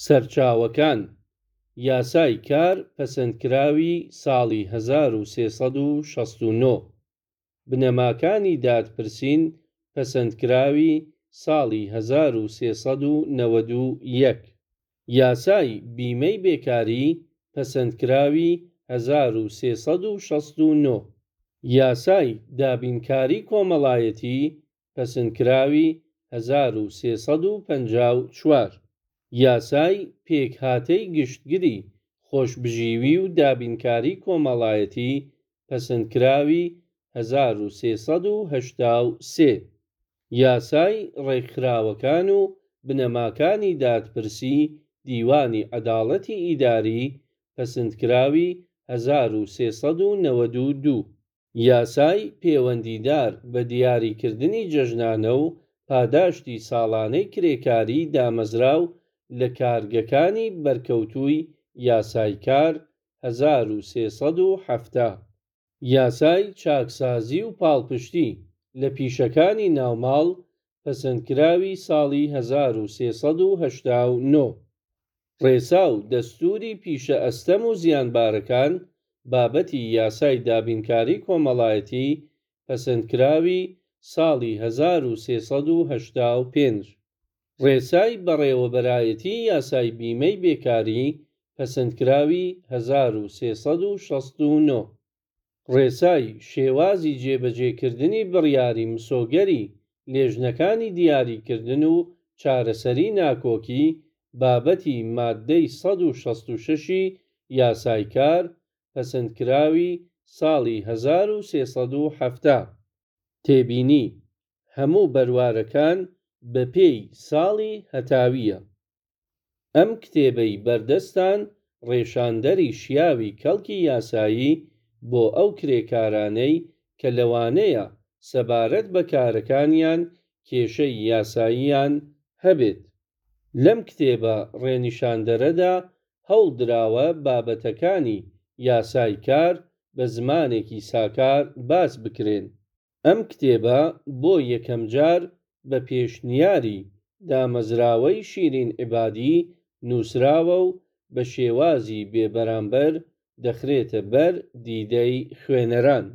سەرچاوەکان، یاسای کار پەسەندکراوی ساڵی 1369، بنەماکانی دادپرسین پەسەندکراوی ساڵی 1391، یاسای بیمەی بێکاری پەسەندکراوی 1369، یاسای دابینکاری کۆمەڵایەتی پەسەندکراوی 1354، یاسای پێکهاتەی گشتگری خۆشبژیوی و دابینکاری کۆمەڵایەتی پەسەندکراوی 1383، یاسای ڕێکخراوەکان و بنەماکانی دادپرسی دیوانی عەدالەتی ئیداری پەسەندکراوی 1392. یاسای پێوەندیدار بە دیاریکردنی جەژنانە و پاداشتی ساڵانەی کرێکاری دامەزراو لە کارگەکانی بەرکەوتووی یاسای کار 1370. یاسای چاکسازی و پاڵپشتی لە پیشەکانی ناوماڵ پەسەندکراوی ساڵی 1389. ڕێسا و دەستووری پیشە ئەستەم و زیانبارەکان بابەتی یاسای دابینکاری کۆمەڵایەتی پەسەندکراوی ساڵی 1385. ڕێسای بەڕێوەبەرایەتی یاسای بیمەی بێکاری پەسەندکراوی 1369. ڕێسای شێوازی جێبەجێکردنی بڕیاری مسۆگەری لێژنەکانی دیاریکردن و چارەسەری ناکۆکی بابەتی ماددەی 166 ی یاسای کار پەسەندکراوی ساڵی 1370. تێبینی، هەموو بەروارەکان بەپێی ساڵی هەتاوییە. ئەم کتێبەی بەردەستتان ڕێشاندەری شیاوی کەڵکی یاسایی بۆ ئەو کرێکارانەی کە لەوانەیە سەبارەت بە کارەکانیان کێشەی یاساییان هەبێت. لەم کتێبە ڕێنیشاندەرەدا هەوڵ دراوە بابەتەکانی یاسای کار بە زمانێکی ساکار باس بکرێن. ئەم کتێبە بۆ یەکەم جار بە پێشنیاری دامەزراوەی شیرین عیبادی نووسراوە و بە شێوازی بێبەرامبەر دەخرێتە بەر دیدەی خوێنەران.